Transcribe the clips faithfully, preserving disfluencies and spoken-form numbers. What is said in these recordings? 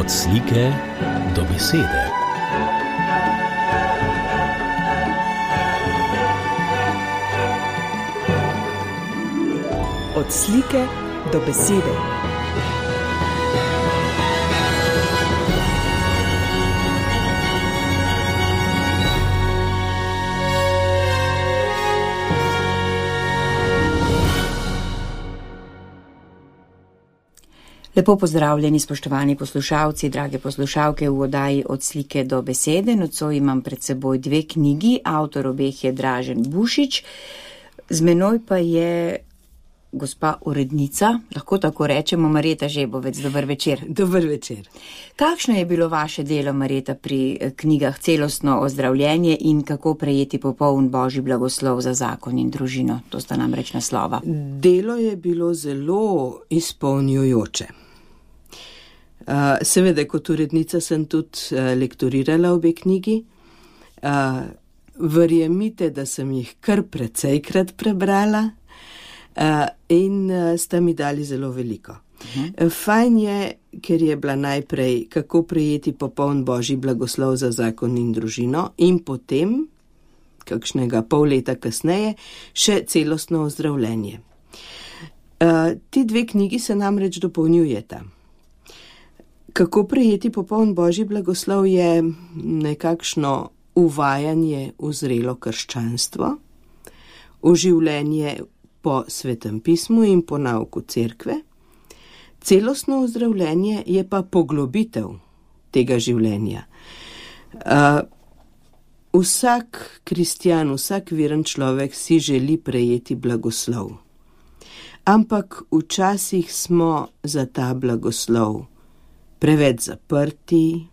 Od slike do besede. Od slike do besede. Lepo pozdravljeni, spoštovani poslušalci, drage poslušalke v oddaji Od slike do besede. Nocoj imam pred seboj dve knjigi, avtor obeh je Dražen Bušič, z menoj pa je gospa urednica, lahko tako rečemo, Marjeta Žebovec. Dober večer. Dober večer. Kakšno je bilo vaše delo, Marjeta, pri knjigah Celostno ozdravljenje in Kako prejeti popoln božji blagoslov za zakon in družino? To sta namreč naslova. Delo je bilo zelo izpolnjujoče. Uh, seveda, kot urednica sem tudi uh, lektorirala obe knjigi. Uh, verjemite, da sem jih kar precejkrat prebrala uh, in uh, sta mi dali zelo veliko. Uh-huh. Uh, fajn je, ker je bila najprej Kako prejeti popoln božji blagoslov za zakon in družino in potem, kakšnega pol leta kasneje, še Celostno ozdravljenje. Uh, ti dve knjigi se namreč dopolnjujeta. Kako prejeti popoln božji blagoslov je nekakšno uvajanje v zrelo krščanstvo, v življenje po Svetem pismu in po nauku cerkve. Celostno ozdravljenje je pa poglobitev tega življenja. Uh, vsak kristjan, vsak veren človek si želi prejeti blagoslov. Ampak včasih smo za ta blagoslov preveč zaprti,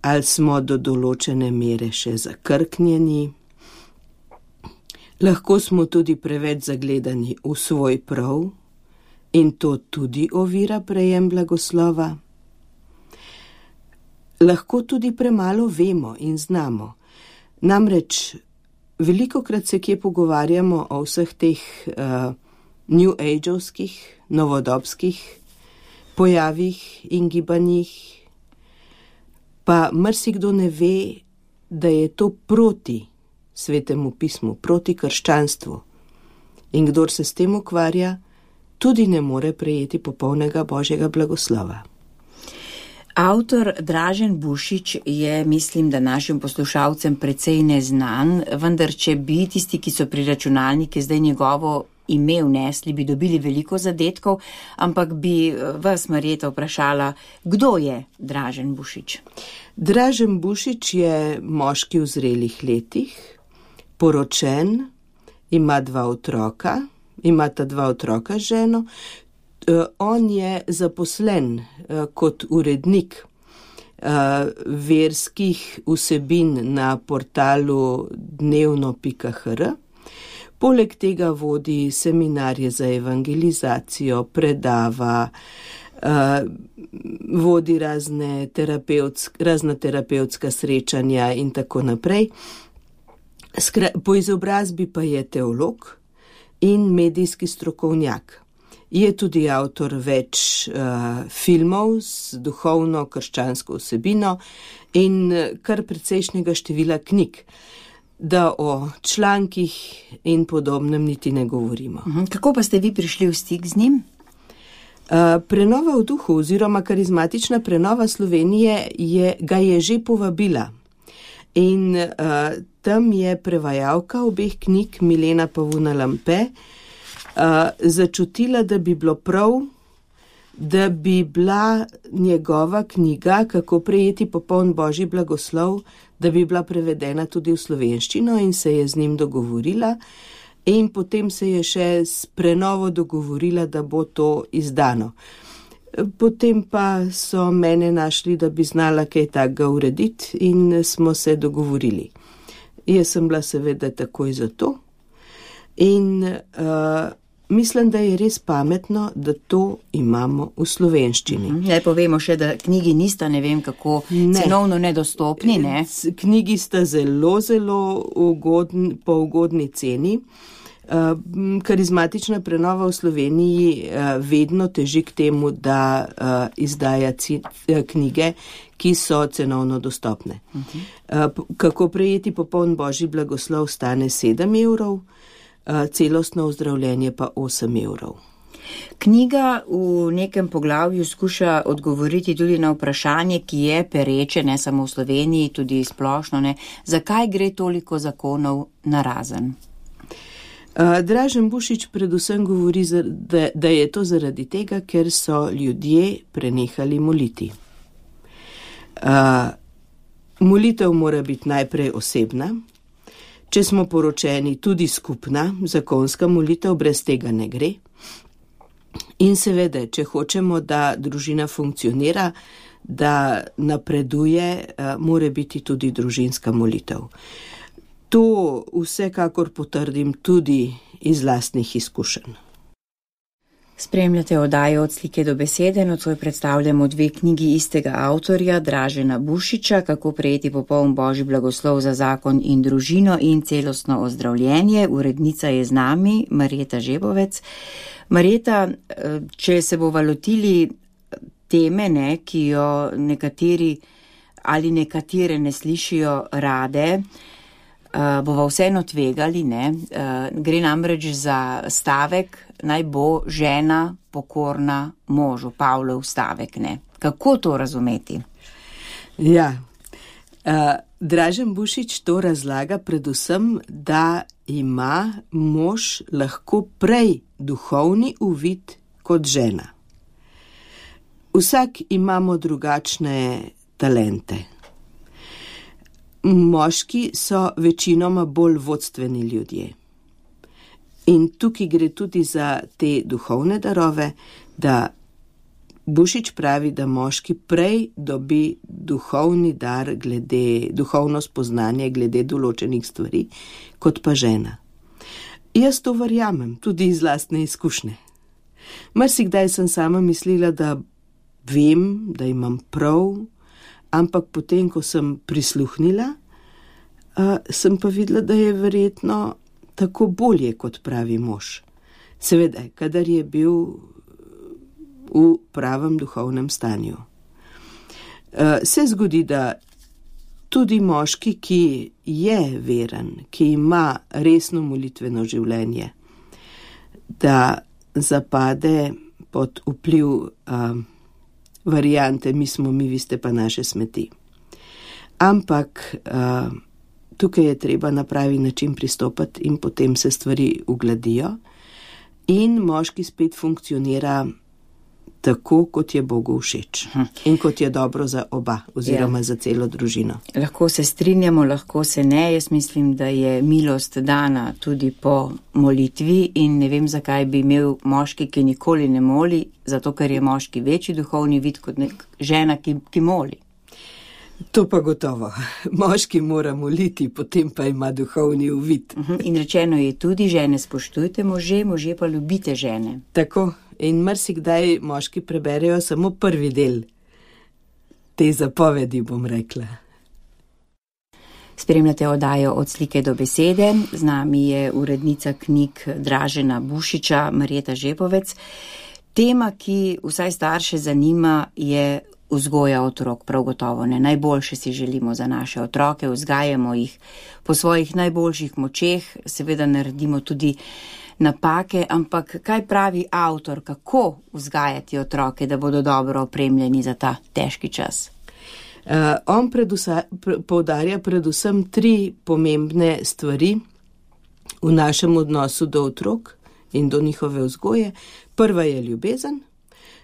ali smo do določene mere še zakrknjeni. Lahko smo tudi preveč zagledani v svoj prav in to tudi ovira prejem blagoslova. Lahko tudi premalo vemo in znamo. Namreč velikokrat se kje pogovarjamo o vseh teh uh, new age-ovskih, novodobskih pojavih in gibanjih, pa marsikdo ne ve, da je to proti Svetemu pismu, proti krščanstvu. In kdor se s tem ukvarja, tudi ne more prejeti popolnega božjega blagoslova. Avtor Dražen Bušič je, mislim, da našim poslušalcem precej neznan, vendar če bi tisti, ki so pri računalniku zdaj njegovo ime vnesli, bi dobili veliko zadetkov, ampak bi vas, Marjeta, vprašala, kdo je Dražen Bušič? Dražen Bušič je moški v zrelih letih, poročen, ima dva otroka, ima ta dva otroka z ženo. On je zaposlen kot urednik verskih vsebin na portalu dnevno pika hr. Poleg tega vodi seminarje za evangelizacijo, predava, uh, vodi razne terapevtsk, razna terapevtska srečanja in tako naprej. Skra, po izobrazbi pa je teolog in medijski strokovnjak. Je tudi avtor več uh, filmov z duhovno krščansko vsebino in kar precejšnjega števila knjig. Da o člankih in podobnem niti ne govorimo. Kako pa ste vi prišli v stik z njim? Uh, prenova v duhu oziroma karizmatična prenova Slovenije je, ga je že povabila. In uh, tam je prevajalka obeh knjig, Milena Pavuna Lampe, uh, začutila, da bi bilo prav, da bi bila njegova knjiga Kako prejeti popoln božji blagoslov, da bi bila prevedena tudi v slovenščino in se je z njim dogovorila in potem se je še s prenovo dogovorila, da bo to izdano. Potem pa so mene našli, da bi znala kaj takega urediti in smo se dogovorili. Jaz sem bila seveda takoj za to in uh, mislim, da je res pametno, da to imamo v slovenščini. Zdaj povemo še, da knjigi nista ne vem kako ne. cenovno nedostopni, ne? Knjigi sta zelo, zelo ugodn, po ugodni ceni. Karizmatična prenova v Sloveniji vedno teži k temu, da izdaja knjige, ki so cenovno dostopne. Uh-huh. Kako prejeti popoln božji blagoslov stane sedem evrov, celostno ozdravljenje pa osem evrov. Knjiga v nekem poglavju skuša odgovoriti tudi na vprašanje, ki je pereče, ne samo v Sloveniji, tudi splošno, ne, zakaj gre toliko zakonov narazen? Uh, Dražen Bušič predvsem govori, da, da je to zaradi tega, ker so ljudje prenehali moliti. Uh, molitev mora biti najprej osebna, če smo poročeni tudi skupna, zakonska molitev, brez tega ne gre. In seveda, če hočemo, da družina funkcionira, da napreduje, uh, mora biti tudi družinska molitev. To vsekakor potrdim tudi iz lastnih izkušenj. Spremljate oddajo Od slike do besede, nocoj predstavljamo dve knjigi istega avtorja, Dražena Bušiča, Kako prejeti popoln božji blagoslov za zakon in družino in celostno ozdravljenje. Urednica je z nami, Marjeta Žebovec. Marjeta, če se bova lotili teme, ne, ki jo nekateri ali nekatere ne slišijo rade, Uh, bova vseeno tvegali, ne? Uh, gre namreč za stavek, naj bo žena pokorna možu, Pavlov stavek, ne? Kako to razumeti? Ja, uh, Dražen Bušič to razlaga predvsem, da ima mož lahko prej duhovni uvid kot žena. Vsak imamo drugačne talente. Moški so večinoma bolj vodstveni ljudje. In tukaj gre tudi za te duhovne darove, da Bušič pravi, da moški prej dobi duhovni dar glede, duhovno spoznanje glede določenih stvari, kot pa žena. Jaz to verjamem, tudi iz lastne izkušnje. Marsikdaj sem sama mislila, da vem, da imam prav, ampak potem, ko sem prisluhnila, uh, sem pa videla, da je verjetno tako bolje, kot pravi mož. Seveda, kadar je bil v pravem duhovnem stanju. Uh, se zgodi, da tudi moški, ki je veren, ki ima resno molitveno življenje, da zapade pod vpliv uh, variante, mi smo mi, vi ste pa naše smeti. Ampak uh, tukaj je treba na pravi način pristopati in potem se stvari ugladijo in moški spet funkcionira tako, kot je Bogu všeč in kot je dobro za oba oziroma ja. Za celo družino. Lahko se strinjamo, lahko se ne. Jaz mislim, da je milost dana tudi po molitvi in ne vem, zakaj bi imel moški, ki nikoli ne moli, zato ker je moški večji duhovni vid kot nek žena, ki, ki moli. To pa gotovo. Moški mora moliti, potem pa ima duhovni uvid. In rečeno je tudi, žene spoštujte može, može pa ljubite žene. Tako. In marsikdaj moški preberejo samo prvi del te zapovedi, bom rekla. Spremljate oddajo Od slike do besede. Z nami je urednica knjig Dražena Bušiča, Marjeta Žebovec. Tema, ki vsaj starše zanima, je vzgoja otrok, prav gotovo ne. Najboljše si želimo za naše otroke, vzgajamo jih po svojih najboljših močeh, seveda naredimo tudi napake, ampak kaj pravi avtor, kako vzgajati otroke, da bodo dobro opremljeni za ta težki čas? Uh, on predusa, pre, poudarja predvsem tri pomembne stvari v našem odnosu do otrok in do njihove vzgoje. Prva je ljubezen,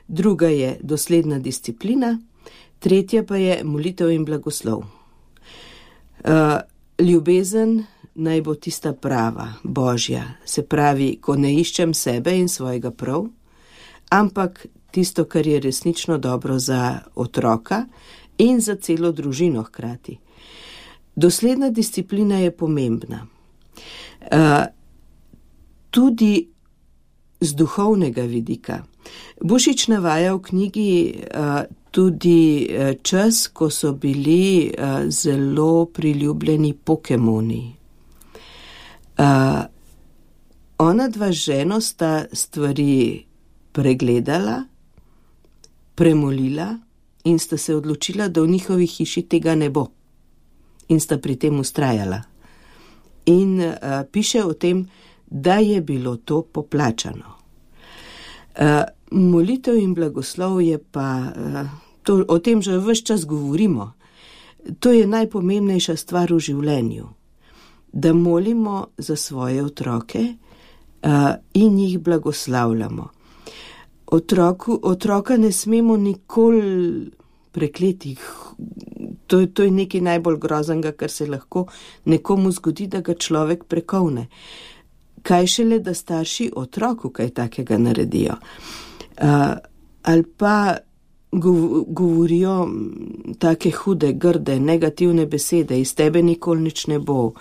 druga je dosledna disciplina, tretja pa je molitev in blagoslov. Uh, ljubezen naj bo tista prava, božja, se pravi, ko ne iščem sebe in svojega prav, ampak tisto, kar je resnično dobro za otroka in za celo družino hkrati. Dosledna disciplina je pomembna. Uh, tudi z duhovnega vidika. Bušič navaja v knjigi uh, tudi uh, čas, ko so bili uh, zelo priljubljeni Pokemoni. Uh, ona dva ženo sta stvari pregledala, premolila in sta se odločila, da v njihovi hiši tega ne bo. In sta pri tem ustrajala. In uh, piše o tem, da je bilo to poplačano. Uh, molitev in blagoslov je pa, uh, to, o tem že ves čas govorimo, to je najpomembnejša stvar v življenju, da molimo za svoje otroke uh, in jih blagoslavljamo. Otroku, otroka ne smemo nikoli prekleti. To, to je nekaj najbolj groznega, kar se lahko nekomu zgodi, da ga človek prekovne. Kaj šele, da starši otroku kaj takega naredijo. Uh, ali pa gov, govorijo take hude, grde, negativne besede, iz tebe nikoli nič ne bo, uh,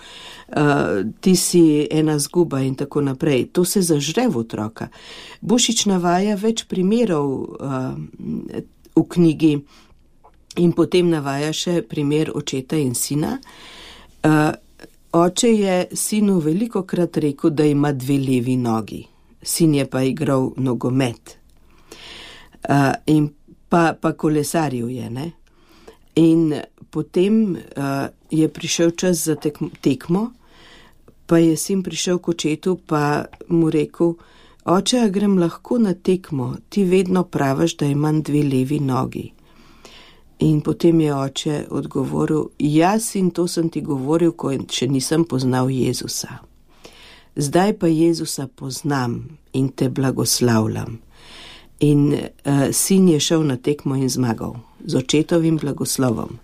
ti si ena zguba in tako naprej. To se zažre v otroka. Bušič navaja več primerov uh, v knjigi in potem navaja še primer očeta in sina. Uh, oče je sinu velikokrat rekel, da ima dve levi nogi. Sin je pa igral nogomet. Uh, in pa, pa kolesaril je, ne? In potem uh, je prišel čas za tekmo, tekmo, pa je sin prišel k očetu, pa mu rekel, oče, a grem lahko na tekmo, ti vedno praviš, da imam dve levi nogi. In potem je oče odgovoril, jaz in to sem ti govoril, ko še nisem poznal Jezusa. Zdaj pa Jezusa poznam in te blagoslavljam. In uh, sin je šel na tekmo in zmagal z očetovim blagoslovom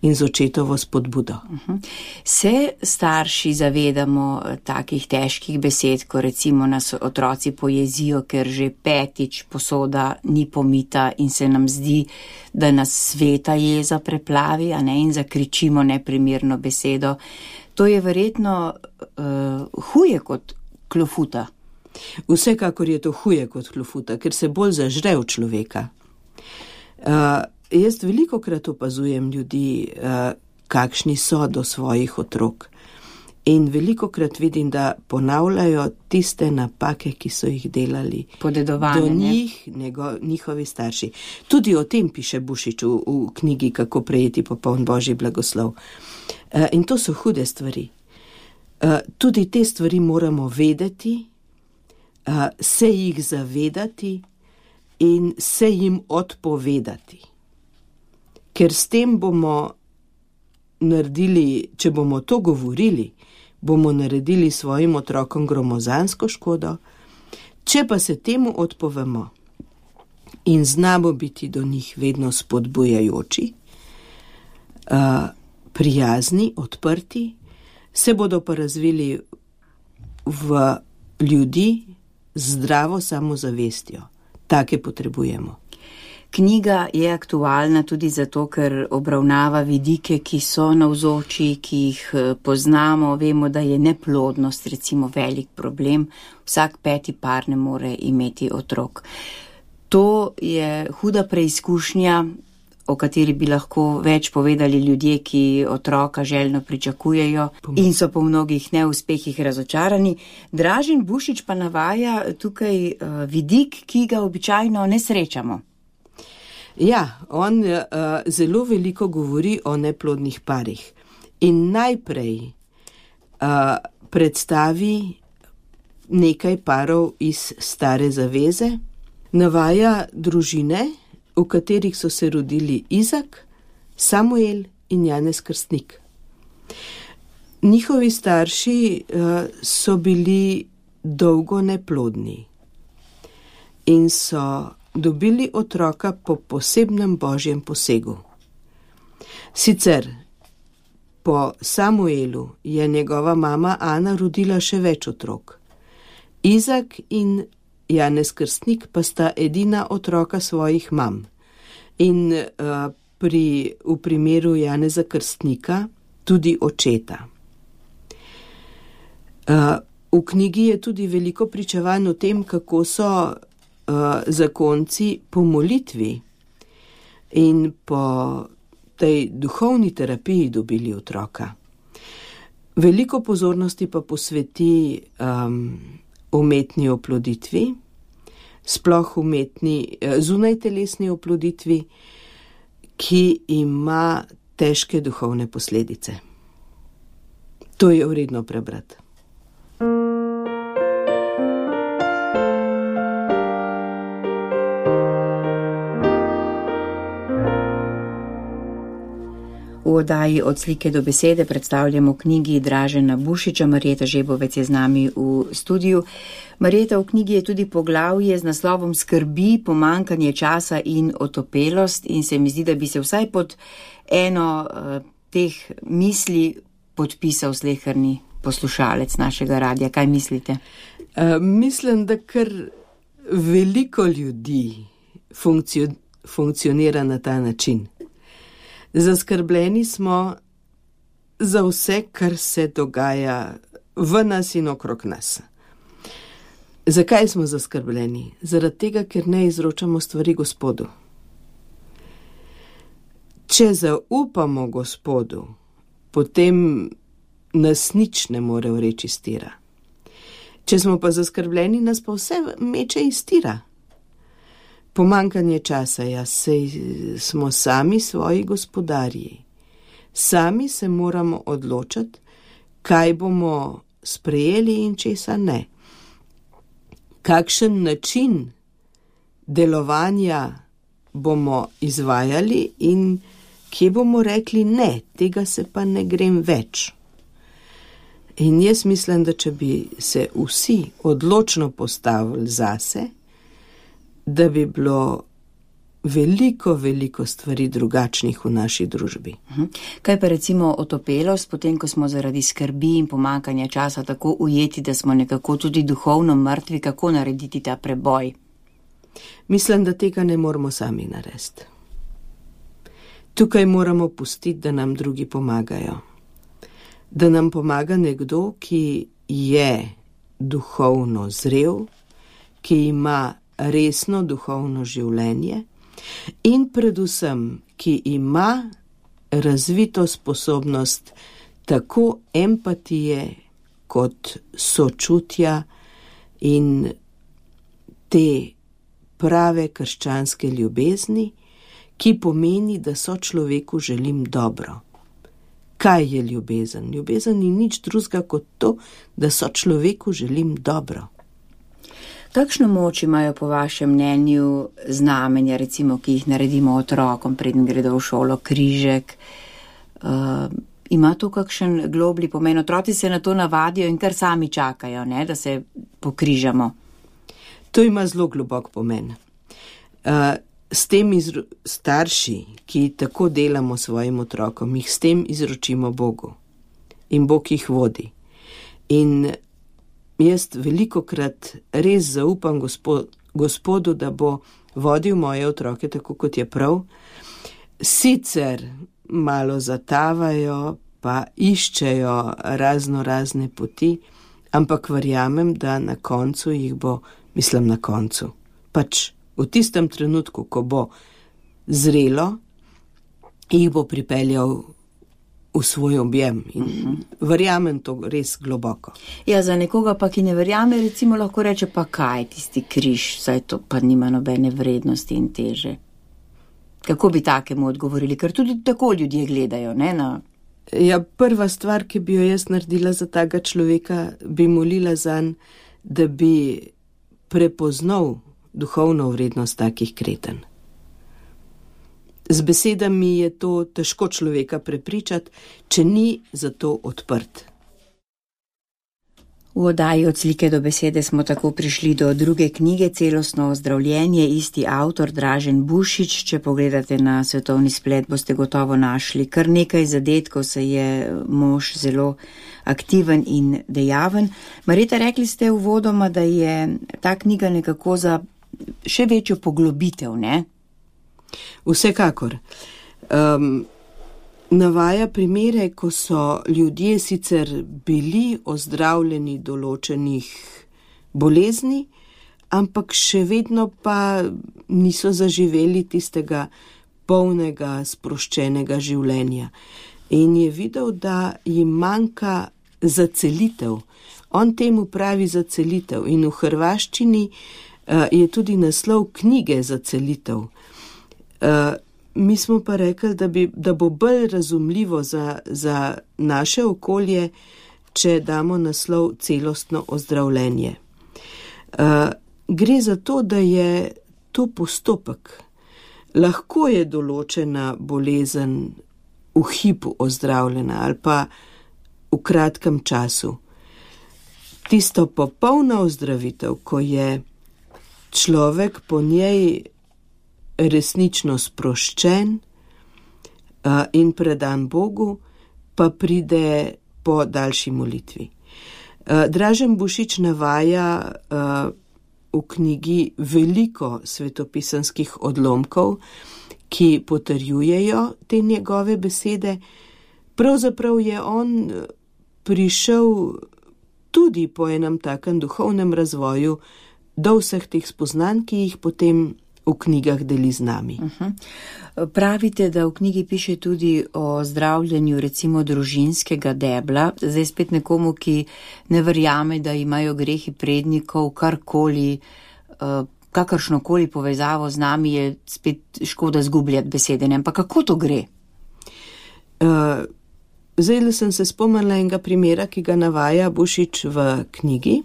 in z očetovo spodbudo. Uh-huh. Se starši zavedamo takih težkih besed, ko recimo nas otroci pojezijo, ker že petič posoda ni pomita in se nam zdi, da nas sveta jeza preplavi, a ne, in zakričimo neprimerno besedo. To je verjetno uh, huje kot klofuta. Vsekakor je to huje kot klofuta, ker se bolj zažre v človeka. Uh, jaz velikokrat opazujem ljudi, uh, kakšni so do svojih otrok. In velikokrat vidim, da ponavljajo tiste napake, ki so jih delali do njih, nego, njihovi starši. Tudi o tem piše Bušič v, v knjigi Kako prejeti popoln Božji blagoslov. Uh, in to so hude stvari. Uh, tudi te stvari moramo vedeti, Uh, se jih zavedati in se jim odpovedati. Ker s tem bomo naredili, če bomo to govorili, bomo naredili svojim otrokom gromozansko škodo, če pa se temu odpovemo in znamo biti do njih vedno spodbujajoči, uh, prijazni, odprti, se bodo pa razvili v ljudi, zdravo samozavestjo. Take potrebujemo. Knjiga je aktualna tudi zato, ker obravnava vidike, ki so navzoči, ki jih poznamo. Vemo, da je neplodnost recimo velik problem. Vsak peti par ne more imeti otrok. To je huda preizkušnja, o kateri bi lahko več povedali ljudje, ki otroka željno pričakujejo in so po mnogih neuspehih razočarani. Dražen Bušič pa navaja tukaj uh, vidik, ki ga običajno ne srečamo. Ja, on uh, zelo veliko govori o neplodnih parih in najprej uh, predstavi nekaj parov iz Stare zaveze, navaja družine, v katerih so se rodili Izak, Samuel in Janez Krstnik. Njihovi starši uh, so bili dolgo neplodni in so dobili otroka po posebnem božjem posegu. Sicer po Samuelu je njegova mama Ana rodila še več otrok. Izak in Janez Krstnik pa sta edina otroka svojih mam. In uh, pri, v primeru Janeza Krstnika tudi očeta. Uh, v knjigi je tudi veliko pričevanj o tem, kako so uh, zakonci po molitvi in po tej duhovni terapiji dobili otroka. Veliko pozornosti pa posveti um, umetni oploditvi, sploh umetni zunajtelesni oploditvi, ki ima težke duhovne posledice. To je vredno prebrati. V oddaji Od slike do besede predstavljamo knjigi Dražena Bušiča. Marjeta Žebovec je z nami v studiu. Marjeta, v knjigi je tudi poglavje z naslovom Skrbi, pomanjkanje časa in otopelost in se mi zdi, da bi se vsaj pod eno uh, teh misli podpisal sleherni poslušalec našega radia. Kaj mislite? Uh, mislim, da kar veliko ljudi funkcio- funkcionira na ta način. Zaskrbljeni smo za vse, kar se dogaja v nas in okrog nas. Zakaj smo zaskrbljeni? Zaradi tega, ker ne izročamo stvari Gospodu. Če zaupamo Gospodu, potem nas nič ne more vreči iz tira. Če smo pa zaskrbljeni, nas pa vse meče iz tira. Pomanjkanje časa, ja, sej smo sami svoji gospodarji. Sami se moramo odločiti, kaj bomo sprejeli in česa ne. Kakšen način delovanja bomo izvajali in kje bomo rekli ne, tega se pa ne grem več. In jaz mislim, da če bi se vsi odločno postavili zase, da bi bilo veliko, veliko stvari drugačnih v naši družbi. Kaj pa recimo otopelost, potem ko smo zaradi skrbi in pomanjkanja časa tako ujeti, da smo nekako tudi duhovno mrtvi, kako narediti ta preboj? Mislim, da tega ne moramo sami narediti. Tukaj moramo pustiti, da nam drugi pomagajo. Da nam pomaga nekdo, ki je duhovno zrel, ki ima resno duhovno življenje in predvsem, ki ima razvito sposobnost tako empatije kot sočutja in te prave krščanske ljubezni, ki pomeni, da sočloveku želim dobro. Kaj je ljubezen? Ljubezen ni nič drugega kot to, da sočloveku želim dobro. Kakšno moč imajo po vašem mnenju znamenja, recimo, ki jih naredimo otrokom, preden gredo v šolo, križek? Uh, ima to kakšen globlji pomen? Otroci se na to navadijo in kar sami čakajo, ne, da se pokrižamo. To ima zelo globok pomen. Uh, s tem izro- starši, ki tako delamo svojim otrokom, jih s tem izročimo Bogu. In Bog jih vodi. In jaz velikokrat res zaupam gospod, Gospodu, da bo vodil moje otroke tako, kot je prav. Sicer malo zatavajo, pa iščejo razno razne poti, ampak verjamem, da na koncu jih bo, mislim na koncu, pač v tistem trenutku, ko bo zrelo, jih bo pripeljal v svoj objem in uh-huh. verjamem to res globoko. Ja, za nekoga pa, ki ne verjame, recimo lahko reče, pa kaj tisti križ, saj to pa nima nobene vrednosti in teže. Kako bi takemu odgovorili? Ker tudi tako ljudje gledajo, ne? Na... Ja, prva stvar, ki bi jo jaz naredila za takega človeka, bi molila zanj, da bi prepoznal duhovno vrednost takih kretenj. Z besedami je to težko človeka prepričati, če ni za to odprt. V oddaji Od slike do besede smo tako prišli do druge knjige Celostno ozdravljenje, isti avtor Dražen Bušič. Če pogledate na svetovni splet, boste gotovo našli kar nekaj zadetkov, se je mož zelo aktiven in dejaven. Marjeta, rekli ste uvodoma, da je ta knjiga nekako za še večjo poglobitev, ne? Vsekakor. Um, navaja primere, ko so ljudje sicer bili ozdravljeni določenih bolezni, ampak še vedno pa niso zaživeli tistega polnega, sproščenega življenja. In je videl, da jim manjka zacelitev. On temu pravi zacelitev in v hrvaščini uh, je tudi naslov knjige Zacelitev. Uh, mi smo pa rekli, da, bi, da bo bolj razumljivo za, za naše okolje, če damo naslov Celostno ozdravljenje. Uh, gre za to, da je to postopek. Lahko je določena bolezen v hipu ozdravljena ali pa v kratkem času. Tisto popolna ozdravitev, ko je človek po njej resnično sproščen uh, in predan Bogu, pa pride po daljši molitvi. Uh, Dražen Bušič navaja uh, v knjigi veliko svetopisanskih odlomkov, ki potrjujejo te njegove besede. Pravzaprav je on prišel tudi po enem takem duhovnem razvoju do vseh teh spoznanj, ki jih potem v knjigah deli z nami. Uh-huh. Pravite, da v knjigi piše tudi o zdravljenju recimo družinskega debla. Zdaj spet nekomu, ki ne verjame, da imajo grehi prednikov, karkoli, kakršnokoli povezavo z nami, je spet škoda zgubljati besede. Ampak kako to gre? Uh, zdaj sem se spomnila enega primera, ki ga navaja Bušič v knjigi.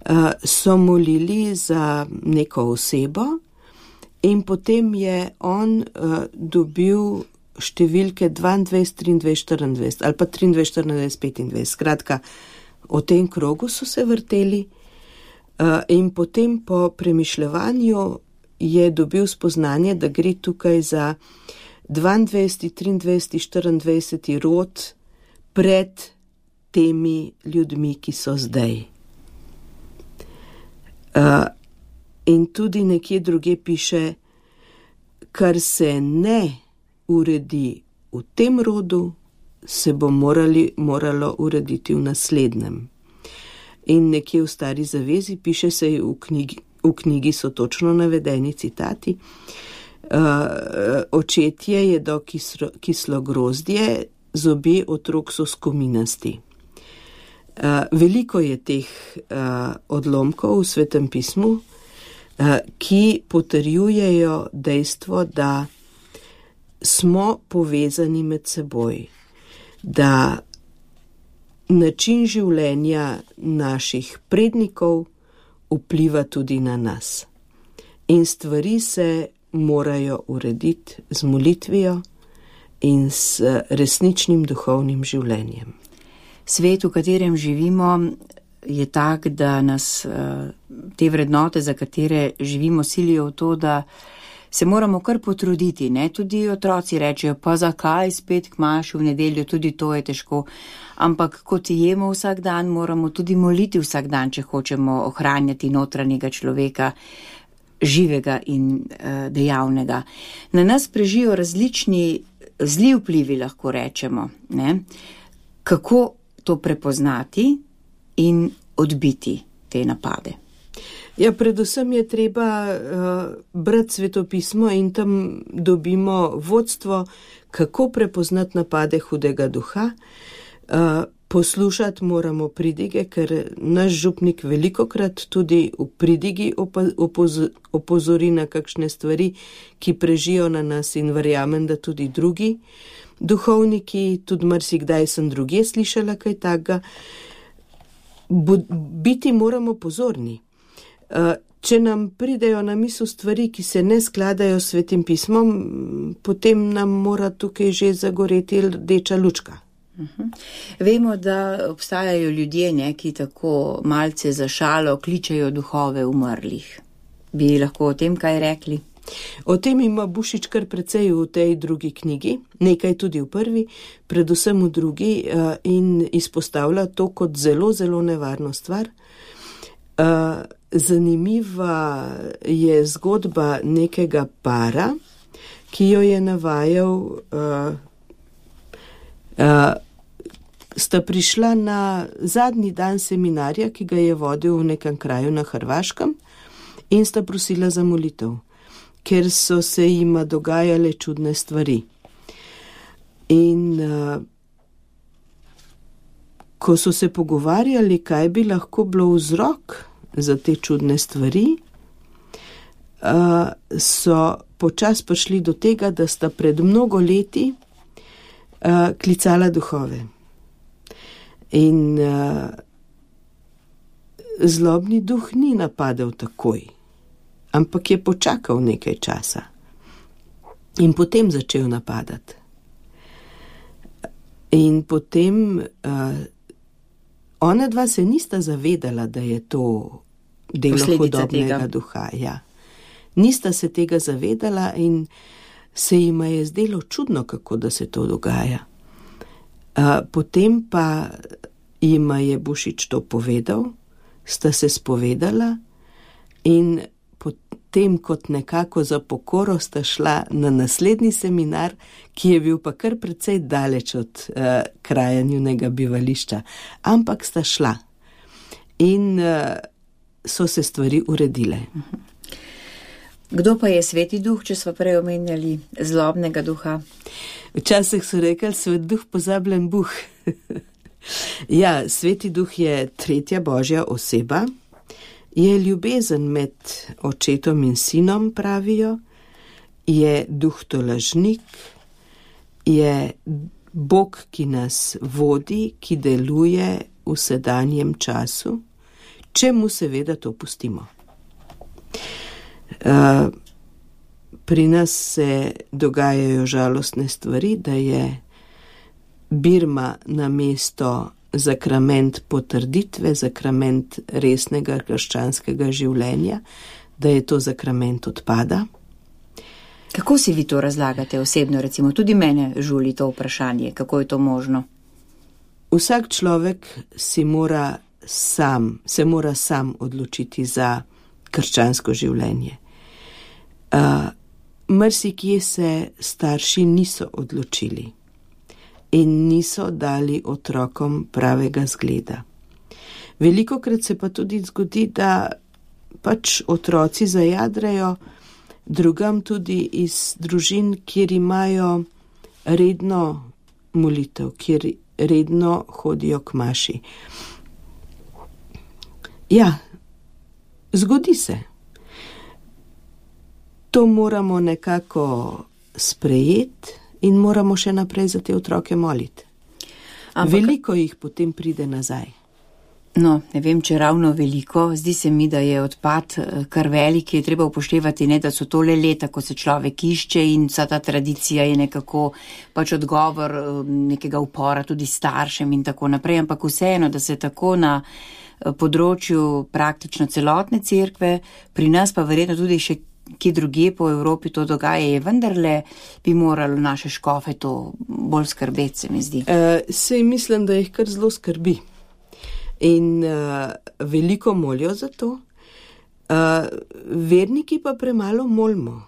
Uh, so molili za neko osebo, in potem je on uh, dobil številke dvaindvajset, triindvajset, štiriindvajset ali pa triindvajset, štiriindvajset, petindvajset. Skratka, o tem krogu so se vrteli uh, in potem po premišljevanju je dobil spoznanje, da gre tukaj za dvaindvajseti, triindvajseti, štiriindvajseti rod pred temi ljudmi, ki so zdaj. Uh, In tudi nekje druge piše, kar se ne uredi v tem rodu, se bo morali, moralo urediti v naslednjem. In nekje v Stari zavezi piše se v knjigi, v knjigi so točno navedeni citati. Uh, očetje jedo kislo, kislo grozdje, zobje otrok so skominasti. Uh, veliko je teh uh, odlomkov v Svetem pismu, ki potrjujejo dejstvo, da smo povezani med seboj, da način življenja naših prednikov vpliva tudi na nas. In stvari se morajo urediti z molitvijo in s resničnim duhovnim življenjem. Svet, v katerem živimo, je tak, da nas te vrednote, za katere živimo, silijo v to, da se moramo kar potruditi. Ne? Tudi otroci rečejo, pa zakaj spet k maši v nedeljo, tudi to je težko. Ampak kot jemo vsak dan, moramo tudi moliti vsak dan, če hočemo ohranjati notranjega človeka, živega in uh, dejavnega. Na nas prežijo različni zli vplivi, lahko rečemo. Ne? Kako to prepoznati in odbiti te napade? Ja, predvsem je treba uh, brati svetopismo in tam dobimo vodstvo, kako prepoznati napade hudega duha. Uh, poslušati moramo pridige, ker naš župnik velikokrat tudi v pridigi opoz- opozori na kakšne stvari, ki prežijo na nas, in verjamem, da tudi drugi duhovniki, tudi marsikdaj sem drugje slišala kaj takega. Biti moramo pozorni. Če nam pridejo na misel stvari, ki se ne skladajo s Svetim pismom, potem nam mora tukaj že zagoreti rdeča lučka. Uh-huh. Vemo, da obstajajo ljudje, ne, ki tako malce za šalo kličejo duhove umrlih. Bi lahko o tem kaj rekli? O tem ima Bušič kar precej v tej drugi knjigi, nekaj tudi v prvi, predvsem v drugi, in izpostavlja to kot zelo, zelo nevarno stvar. Zanimiva je zgodba nekega para, ki jo je navajal, sta prišla na zadnji dan seminarja, ki ga je vodil v nekem kraju na Hrvaškem, in sta prosila za molitev, ker so se jima dogajale čudne stvari. In uh, ko so se pogovarjali, kaj bi lahko bilo vzrok za te čudne stvari, uh, so počas prišli do tega, da sta pred mnogo leti uh, klicala duhove. In uh, zlobni duh ni napadel takoj, ampak je počakal nekaj časa in potem začel napadati. In potem uh, ona dva se nista zavedala, da je to delo Posledica hudobnega tega. duha. Ja. Nista se tega zavedala in se jima je zdelo čudno, kako da se to dogaja. Uh, potem pa jima je Bušič to povedal, sta se spovedala in potem kot nekako za pokoro sta šla na naslednji seminar, ki je bil pa kar precej daleč od uh, kraja njunega bivališča, ampak sta šla in uh, so se stvari uredile. Kdo pa je sveti duh, če smo prej omenjali zlobnega duha? Včasih so rekli, svet duh pozabljen buh. Ja, sveti duh je tretja božja oseba, je ljubezen med očetom in sinom, pravijo, je duh tolažnik, je Bog, ki nas vodi, ki deluje v sedanjem času, če mu seveda to pustimo. Uh, pri nas se dogajajo žalostne stvari, da je Birma namesto zakrament potrditve, zakrament resnega krščanskega življenja, da je to zakrament odpada. Kako si vi to razlagate osebno, recimo? Tudi mene žuli to vprašanje, kako je to možno? Vsak človek si mora sam, se mora sam odločiti za krščansko življenje. Uh, Mrsikje se starši niso odločili in niso dali otrokom pravega zgleda. Velikokrat se pa tudi zgodi, da pač otroci zajadrajo drugam tudi iz družin, kjer imajo redno molitev, kjer redno hodijo k maši. Ja, zgodi se. To moramo nekako sprejeti in moramo še naprej za te otroke moliti. Ampak veliko jih potem pride nazaj. No, ne vem, če ravno veliko. Zdi se mi, da je odpad kar velik, je treba upoštevati, ne, da so to le leta, ko se človek išče in vsa ta tradicija je nekako pač odgovor nekega upora tudi staršem in tako naprej, ampak vseeno, da se tako na področju praktično celotne cerkve, pri nas pa verjetno tudi še ki drugje po Evropi to dogaja, je vendarle bi moralo naše škofe to bolj skrbeti, se mi zdi. Uh, sej mislim, da jih kar zelo skrbi. In uh, veliko molijo za to. Uh, verniki pa premalo molimo.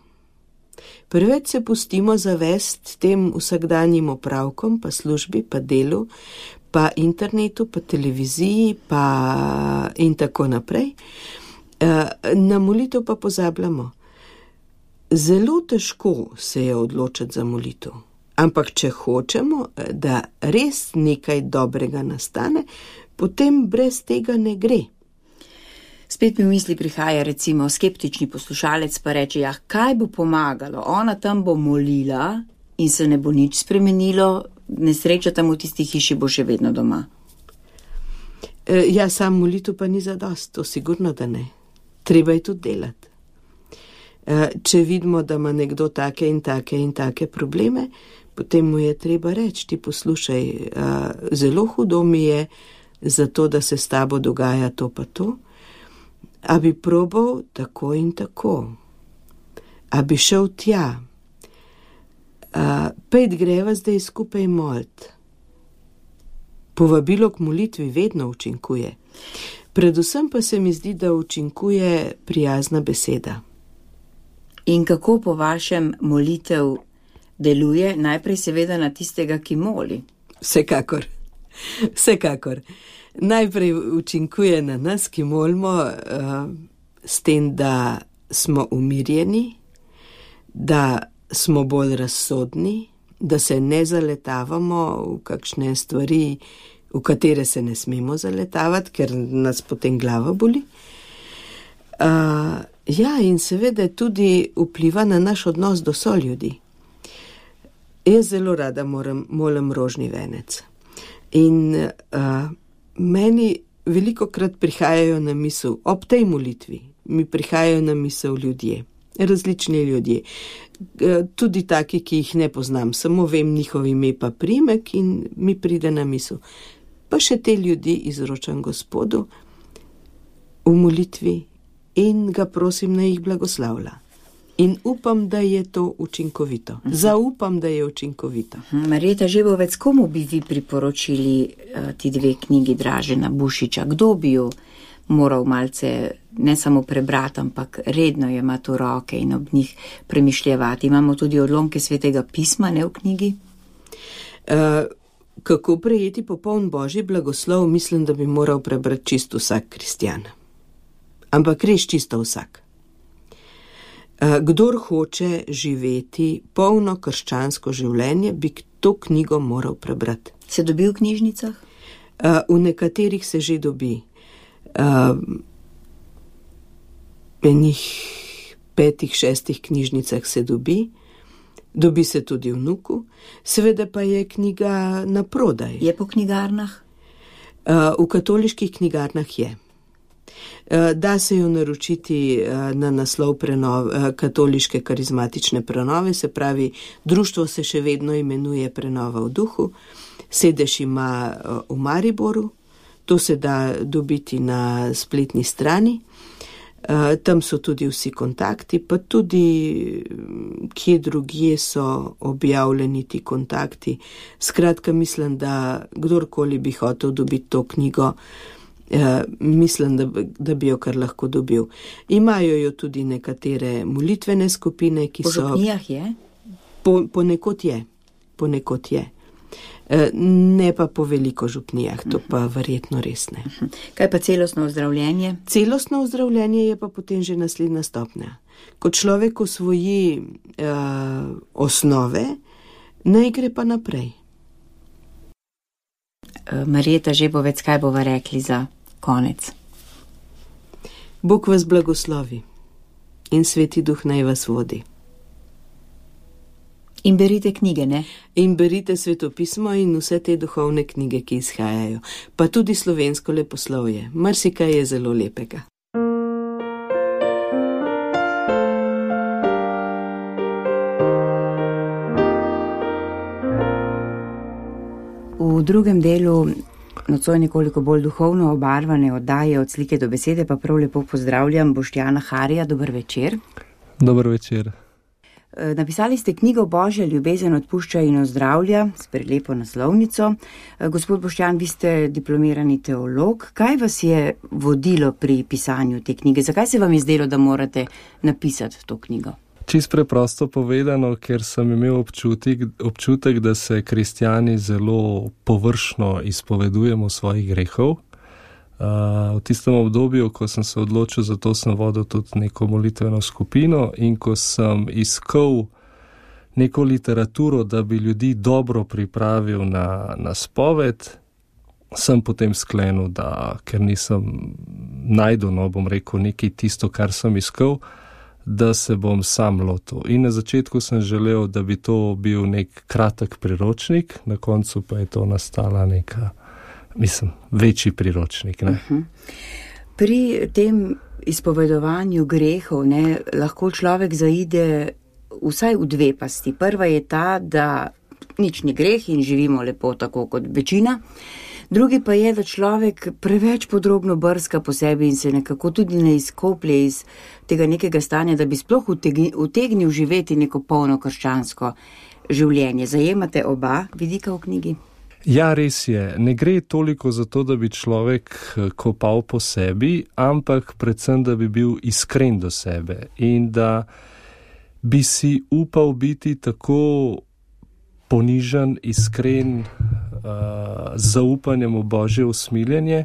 Preveč se pustimo zavest tem vsakdanjim opravkom, pa službi, pa delu, pa internetu, pa televiziji, pa in tako naprej. Uh, na molitev pa pozabljamo. Zelo težko se je odločiti za molitev, ampak če hočemo, da res nekaj dobrega nastane, potem brez tega ne gre. Spet mi v misli prihaja recimo skeptični poslušalec pa reče, ja, kaj bo pomagalo, ona tam bo molila in se ne bo nič spremenilo, nesreča tam v tisti hiši bo še vedno doma. E, ja, sam molitev pa ni zadost, to sigurno, da ne. Treba je tudi delati. Če vidimo, da ima nekdo take in take in take probleme, potem mu je treba reči, ti poslušaj, zelo hudo mi je za to, da se s tabo dogaja to pa to, a bi probal tako in tako, a bi šel tja, pejt greva zdaj skupaj molt. Povabilo k molitvi vedno učinkuje. Predvsem pa se mi zdi, da učinkuje prijazna beseda. In kako po vašem molitev deluje? Najprej seveda na tistega, ki moli. Vsekakor, vsekakor. Najprej učinkuje na nas, ki molimo, uh, s tem, da smo umirjeni, da smo bolj razsodni, da se ne zaletavamo v kakšne stvari, v katere se ne smemo zaletavati, ker nas potem glava boli. Uh, ja, in seveda tudi vpliva na naš odnos do soljudi. Jaz zelo rada moram, molim rožni venec. In uh, meni velikokrat prihajajo na misel, ob tej molitvi, mi prihajajo na misel ljudje, različni ljudje. Tudi taki, ki jih ne poznam, samo vem njihov ime pa primek in mi pride na misel. Pa še te ljudi izročam Gospodu v molitvi in ga prosim, naj jih blagoslavlja. In upam, da je to učinkovito. Uh-huh. Zaupam, da je učinkovito. Uh-huh. Marjeta Žebovec, komu bi vi priporočili uh, ti dve knjigi Dražena Bušiča? Kdo bi jo moral malce ne samo prebrati, ampak redno jemati v roke in ob njih premišljevati? Imamo tudi odlomke Svetega pisma, ne v knjigi? Uh, kako prejeti popoln Božji blagoslov, mislim, da bi moral prebrati čisto vsak kristjan. Ampak res čisto vsak. Kdor hoče živeti polno krščansko življenje, bi to knjigo moral prebrati. Se dobi v knjižnicah? V nekaterih se že dobi. V enih petih, šestih knjižnicah se dobi. Dobi se tudi v Nuku. Seveda pa je knjiga na prodaj. Je po knjigarnah? V katoliških knjigarnah je. Da se jo naročiti na naslov prenov, katoliške karizmatične prenove, se pravi, društvo se še vedno imenuje Prenova v duhu, sedež ima v Mariboru, to se da dobiti na spletni strani, tam so tudi vsi kontakti, pa tudi kje drugje so objavljeni ti kontakti. Skratka, mislim, da kdorkoli bi hotel dobiti to knjigo, Uh, mislim, da, da bi jo kar lahko dobil. Imajo jo tudi nekatere molitvene skupine, ki po so... Po župnijah je? Po, ponekod je. Ponekod je. Uh, ne pa po veliko župnijah, to pa verjetno res ne. Kaj pa celostno ozdravljenje? Celostno ozdravljenje je pa potem že naslednja stopnja. Ko človek osvoji uh, osnove, naj gre pa naprej. Uh, Marjeta Žebovec, kaj bova rekli za konec? Bog vas blagoslovi in Sveti Duh naj vas vodi. In berite knjige, ne? In berite svetopismo in vse te duhovne knjige, ki izhajajo. Pa tudi slovensko leposlovje. Marsikaj je zelo lepega. V drugem delu nocoj nekoliko bolj duhovno obarvane oddaje Od slike do besede pa prav lepo pozdravljam Boštjana Harija. Dober večer. Dober večer. Napisali ste knjigo Božja ljubezen odpušča in ozdravlja s prelepo naslovnico. Gospod Boštjan, vi ste diplomirani teolog. Kaj vas je vodilo pri pisanju te knjige? Zakaj se vam je zdelo, da morate napisati to knjigo? Čist preprosto povedano, ker sem imel občutek, občutek, da se kristjani zelo površno izpovedujemo svojih grehov. Uh, v tistem obdobju, ko sem se odločil za to, sem vodil tudi neko molitveno skupino in ko sem iskal neko literaturo, da bi ljudi dobro pripravil na, na spoved, sem potem sklenil, da ker nisem najdel, no bom rekel, nekaj tisto, kar sem iskal, da se bom sam lotil. In na začetku sem želel, da bi to bil nek kratek priročnik, na koncu pa je to nastala neka, mislim, večji priročnik. Ne? Uh-huh. Pri tem izpovedovanju grehov ne, lahko človek zaide vsaj v dve pasti. Prva je ta, da nič ni greh in živimo lepo tako kot večina. Drugi pa je, da človek preveč podrobno brska po sebi in se nekako tudi ne izkoplje iz tega nekega stanja, da bi sploh utegnil živeti neko polno krščansko življenje. Zajemate oba vidika v knjigi? Ja, res je. Ne gre toliko za to, da bi človek kopal po sebi, ampak predvsem, da bi bil iskren do sebe in da bi si upal biti tako ponižen, iskren, uh, z zaupanjem v Božje usmiljenje,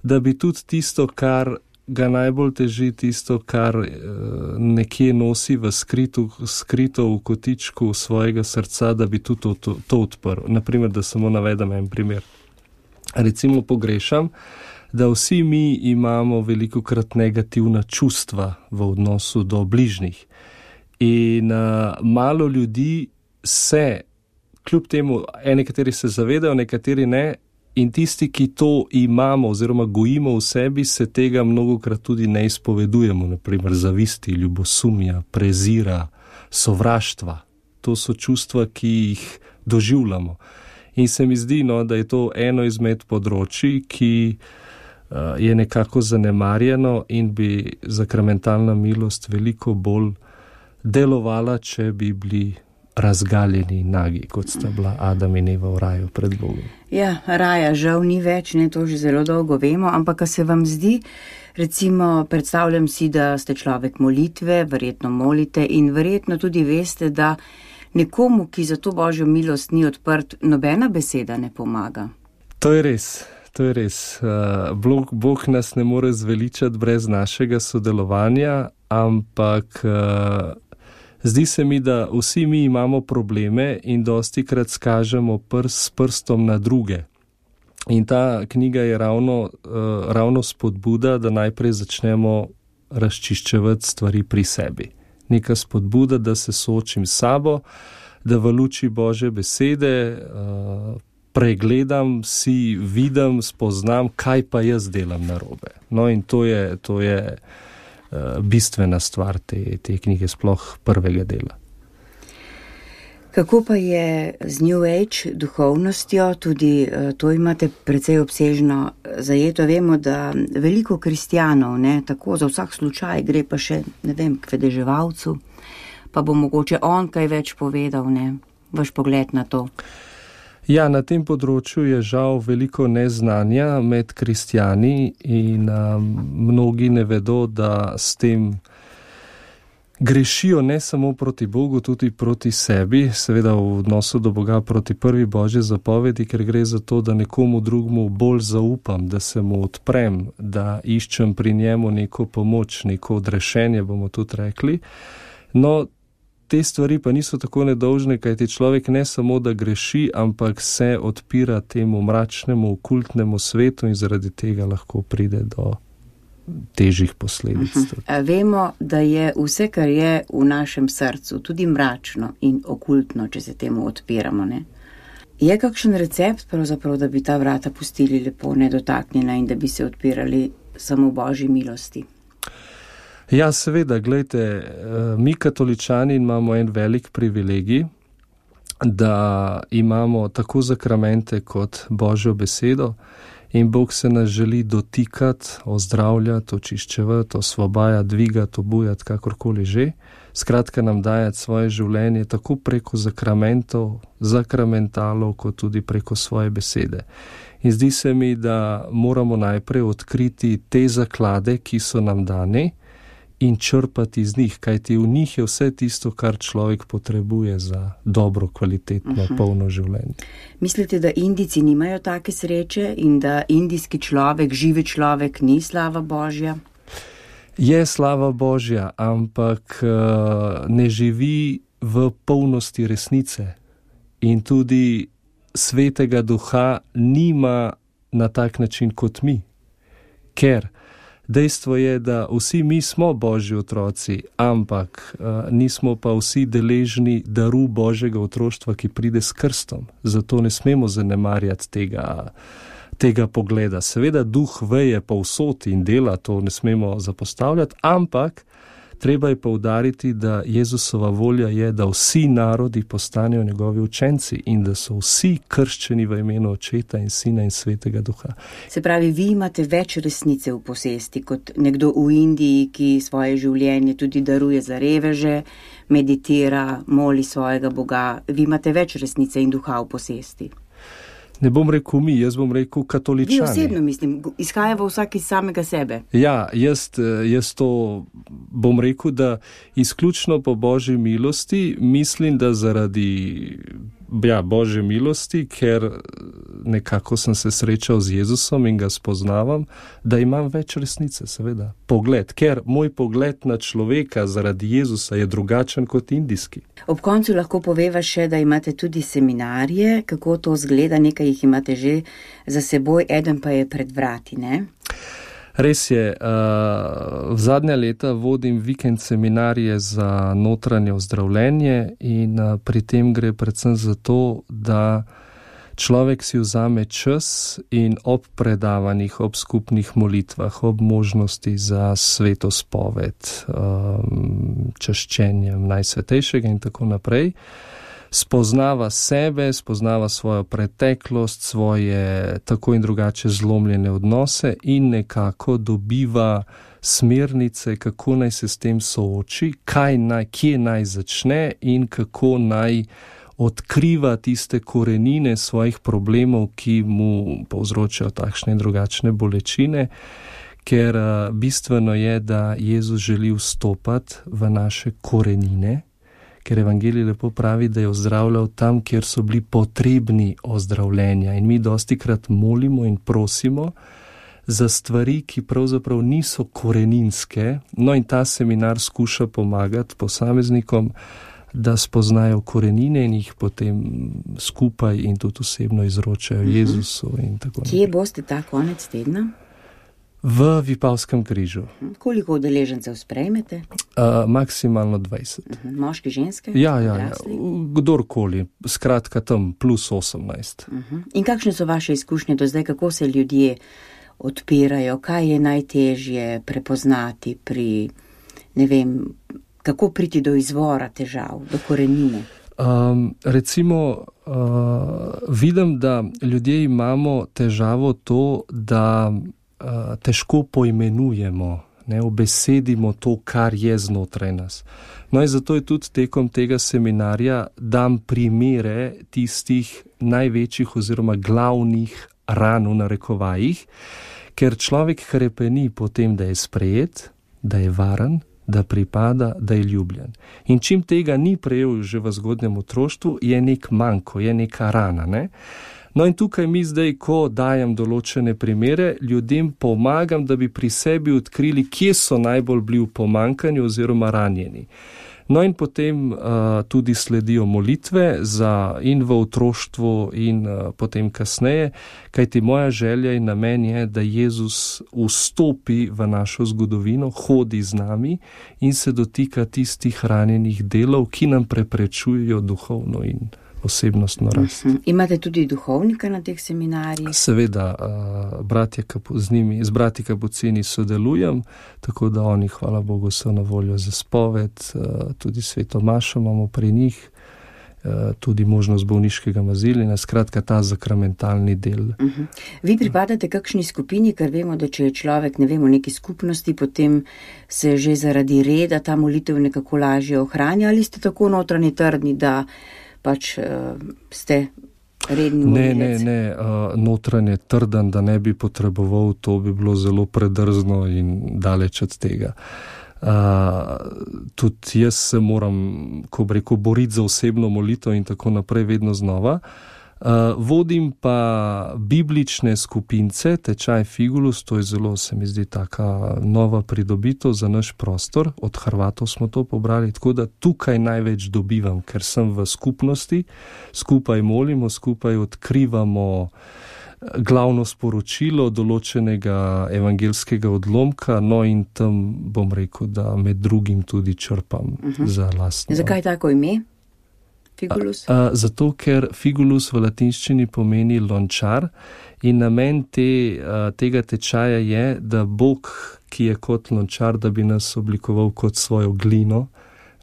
da bi tudi tisto, kar ga najbolj teži, tisto, kar uh, nekje nosi v skritu, skrito v kotičku svojega srca, da bi tudi to, to, to odprl. Naprimer, da samo navedem en primer. recimo pogrešam, da vsi mi imamo velikokrat negativna čustva v odnosu do bližnjih. In uh, malo ljudi se, kljub temu, nekateri se zavedajo, nekateri ne, in tisti, ki to imamo oziroma gojimo v sebi, se tega mnogokrat tudi ne izpovedujemo, naprimer zavisti, ljubosumja, prezira, sovraštva. To so čustva, ki jih doživljamo. In se mi zdi, no, da je to eno izmed področji, ki uh, je nekako zanemarjeno in bi sakramentalna milost veliko bolj delovala, če bi bili razgaljeni nagi, kot sta bila Adam in Eva v raju pred Bogom. Ja, raja žal ni več, ne, to že zelo dolgo vemo, ampak ka se vam zdi, recimo, predstavljam si, da ste človek molitve, verjetno molite in verjetno tudi veste, da nekomu, ki za to Božjo milost ni odprt, nobena beseda ne pomaga. To je res, to je res. Bog, Bog nas ne more zveličati brez našega sodelovanja, ampak zdi se mi, da vsi mi imamo probleme in dostikrat skažemo prst s prstom na druge. In ta knjiga je ravno, ravno spodbuda, da najprej začnemo razčiščevati stvari pri sebi. Neka spodbuda, da se soočim s sabo, da v luči Božje besede pregledam, si vidim, spoznam, kaj pa jaz delam narobe. No in to je, to je bistvena stvar te, te knjige, sploh prvega dela. Kako pa je z New Age duhovnostjo, tudi to imate precej obsežno zajeto. Vemo, da veliko kristjanov, ne, tako za vsak slučaj, gre pa še, ne vem, k vedeževalcu, pa bo mogoče on kaj več povedal, ne, vaš pogled na to. Ja, na tem področju je žal veliko neznanja med kristjani in um, mnogi ne vedo, da s tem grešijo ne samo proti Bogu, tudi proti sebi, seveda v odnosu do Boga proti prvi Božji zapovedi, ker gre za to, da nekomu drugmu bolj zaupam, da se mu odprem, da iščem pri njemu neko pomoč, neko odrešenje, bomo tudi rekli. No, te stvari pa niso tako nedolžne, kajti človek ne samo, da greši, ampak se odpira temu mračnemu, okultnemu svetu in zaradi tega lahko pride do težjih posledic. Uh-huh. Vemo, da je vse, kar je v našem srcu, tudi mračno in okultno, če se temu odpiramo, ne? Je kakšen recept pravzaprav, da bi ta vrata pustili lepo nedotaknjena in da bi se odpirali samo Božji milosti? Ja, seveda, gledajte, mi katoličani imamo en velik privilegij, da imamo tako zakramente kot Božjo besedo in Bog se nas želi dotikati, ozdravljati, očiščevati, osvobajati, dvigati, obujati, kakorkoli že. Skratka nam dajati svoje življenje tako preko zakramentov, zakramentalov, kot tudi preko svoje besede. In zdi se mi, da moramo najprej odkriti te zaklade, ki so nam dani, in črpati iz njih, kajti v njih je vse tisto, kar človek potrebuje za dobro, kvalitetno, uh-huh. polno življenje. Mislite, da Indijci nimajo take sreče in da indijski človek, živi človek, ni slava Božja? Je slava Božja, ampak uh, ne živi v polnosti resnice in tudi svetega duha nima na tak način kot mi, ker dejstvo je, da vsi mi smo Božji otroci, ampak uh, nismo pa vsi deležni daru Božjega otroštva, ki pride s krstom. Zato ne smemo zanemarjati tega, tega pogleda. Seveda duh veje povsod in dela, to ne smemo zapostavljati, ampak treba je poudariti, da Jezusova volja je, da vsi narodi postanejo njegovi učenci in da so vsi krščeni v imenu Očeta in Sina in Svetega Duha. Se pravi, vi imate več resnice v posesti kot nekdo v Indiji, ki svoje življenje tudi daruje za reveže, meditira, moli svojega Boga. Vi imate več resnice in duha v posesti. Ne bom rekel mi, jaz bom rekel katoličani. Vi osebno mislim, izhaja v vsak iz samega sebe. Ja, jaz, jaz to bom rekel, da izključno po Božji milosti mislim, da zaradi ja, Božje milosti, ker nekako sem se srečal z Jezusom in ga spoznavam, da imam več resnice, seveda. Pogled, ker moj pogled na človeka zaradi Jezusa je drugačen kot indijski. Ob koncu lahko poveva še, da imate tudi seminarje, kako to zgleda, nekaj jih imate že za seboj, eden pa je pred vrati, ne? Res je, v zadnja leta vodim vikend seminarije za notranje ozdravljenje in pri tem gre predvsem za to, da človek si vzame čas in ob predavanjih, ob skupnih molitvah, ob možnosti za sveto spoved, čaščenjem Najsvetejšega in tako naprej, spoznava sebe, spoznava svojo preteklost, svoje tako in drugače zlomljene odnose in nekako dobiva smernice, kako naj se s tem sooči, kaj naj, kje naj začne in kako naj odkriva tiste korenine svojih problemov, ki mu povzročajo takšne in drugačne bolečine, ker bistveno je, da Jezus želi vstopati v naše korenine, ker evangelij lepo pravi, da je ozdravljal tam, kjer so bili potrebni ozdravljenja. In mi dostikrat molimo in prosimo za stvari, ki pravzaprav niso koreninske. No in ta seminar skuša pomagati posameznikom, da spoznajo korenine in jih potem skupaj in tudi osebno izročajo uh-huh. Jezusu in tako naprej. Kje boste ta konec tedna? V Vipavskem križu. Koliko udeležencev sprejmete? Uh, maksimalno dvajset. Uh-huh. Moški, ženske? Ja, ja, ja. Kdorkoli. Skratka tam plus osemnajst. Uh-huh. In kakšne so vaše izkušnje do zdaj, kako se ljudje odpirajo, kaj je najtežje prepoznati pri, ne vem, kako priti do izvora težav, do korenine? Um, recimo, uh, vidim, da ljudje imamo težavo to, da uh, težko poimenujemo, ne, obesedimo to, kar je znotraj nas. No in zato je tudi tekom tega seminarja dam primere tistih največjih oziroma glavnih ran v narekovajih, ker človek hrepeni po tem, da je sprejet, da je varen, da pripada, da je ljubljen. In čim tega ni prejel že v zgodnjem otroštvu, je nek manko, je neka rana, ne? No in tukaj mi zdaj, ko dajem določene primere, ljudem pomagam, da bi pri sebi odkrili, kje so najbolj bili v pomankanju oziroma ranjeni. No in potem uh, tudi sledijo molitve za in v otroštvu in uh, potem kasneje, kajti moja želja in namen je, da Jezus vstopi v našo zgodovino, hodi z nami in se dotika tistih ranjenih delov, ki nam preprečujejo duhovno in osebnostno rast. Uh-huh. Imate tudi duhovnika na teh seminarjih? Seveda, uh, bratje, z njimi, z brati Kapucini sodelujem, tako da oni, hvala Bogu, so na voljo za spoved, uh, tudi sveto mašo imamo pri njih, uh, tudi možnost bolniškega maziljenja, skratka ta zakramentalni del. Uh-huh. Vi pripadate kakšni skupini, ker vemo, da če je človek, ne vem, v neki skupnosti, potem se že zaradi reda ta molitev nekako lažje ohranja, ali ste tako notranji trdni, da pač uh, ste redni molilec? Ne, ne, ne, uh, notranje trden, da ne bi potreboval, to bi bilo zelo predrzno in daleč od tega. Uh, tudi jaz se moram, ko bi rekel, boriti za osebno molitev in tako naprej vedno znova. Uh, vodim pa biblične skupince, tečaj Figulus, to je zelo, se mi zdi, taka nova pridobitev za naš prostor, od Hrvatov smo to pobrali, tako da tukaj največ dobivam, ker sem v skupnosti, skupaj molimo, skupaj odkrivamo glavno sporočilo določenega evangelskega odlomka, no in tam bom rekel, da med drugim tudi črpam uh-huh. za lastno. Zakaj tako ime? Figulus? A, a, zato, ker Figulus v latinščini pomeni lončar in namen te, a, tega tečaja je, da Bog, ki je kot lončar, da bi nas oblikoval kot svojo glino,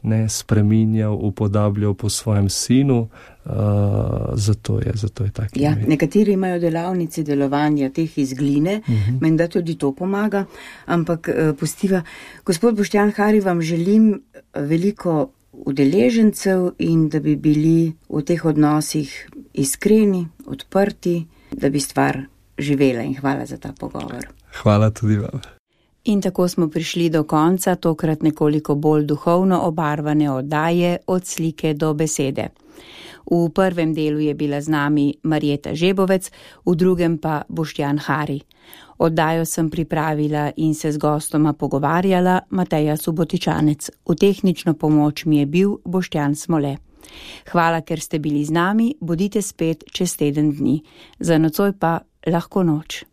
ne spreminjal, upodabljal po svojem sinu, a, zato je, zato je tak ja, ime. Nekateri imajo delavnice delovanja teh iz gline, uh-huh. menda tudi to pomaga, ampak uh, pustiva. Gospod Boštjan Hari, vam želim veliko udeležencev in da bi bili v teh odnosih iskreni, odprti, da bi stvar živela, in hvala za ta pogovor. Hvala tudi vam. In tako smo prišli do konca tokrat nekoliko bolj duhovno obarvane oddaje Od slike do besede. V prvem delu je bila z nami Marjeta Žebovec, v drugem pa Boštjan Hari. Oddajo sem pripravila in se z gostoma pogovarjala Mateja Subotičanec. V tehnično pomoč mi je bil Boštjan Smole. Hvala, ker ste bili z nami, bodite spet čez teden dni. Za nocoj pa lahko noč.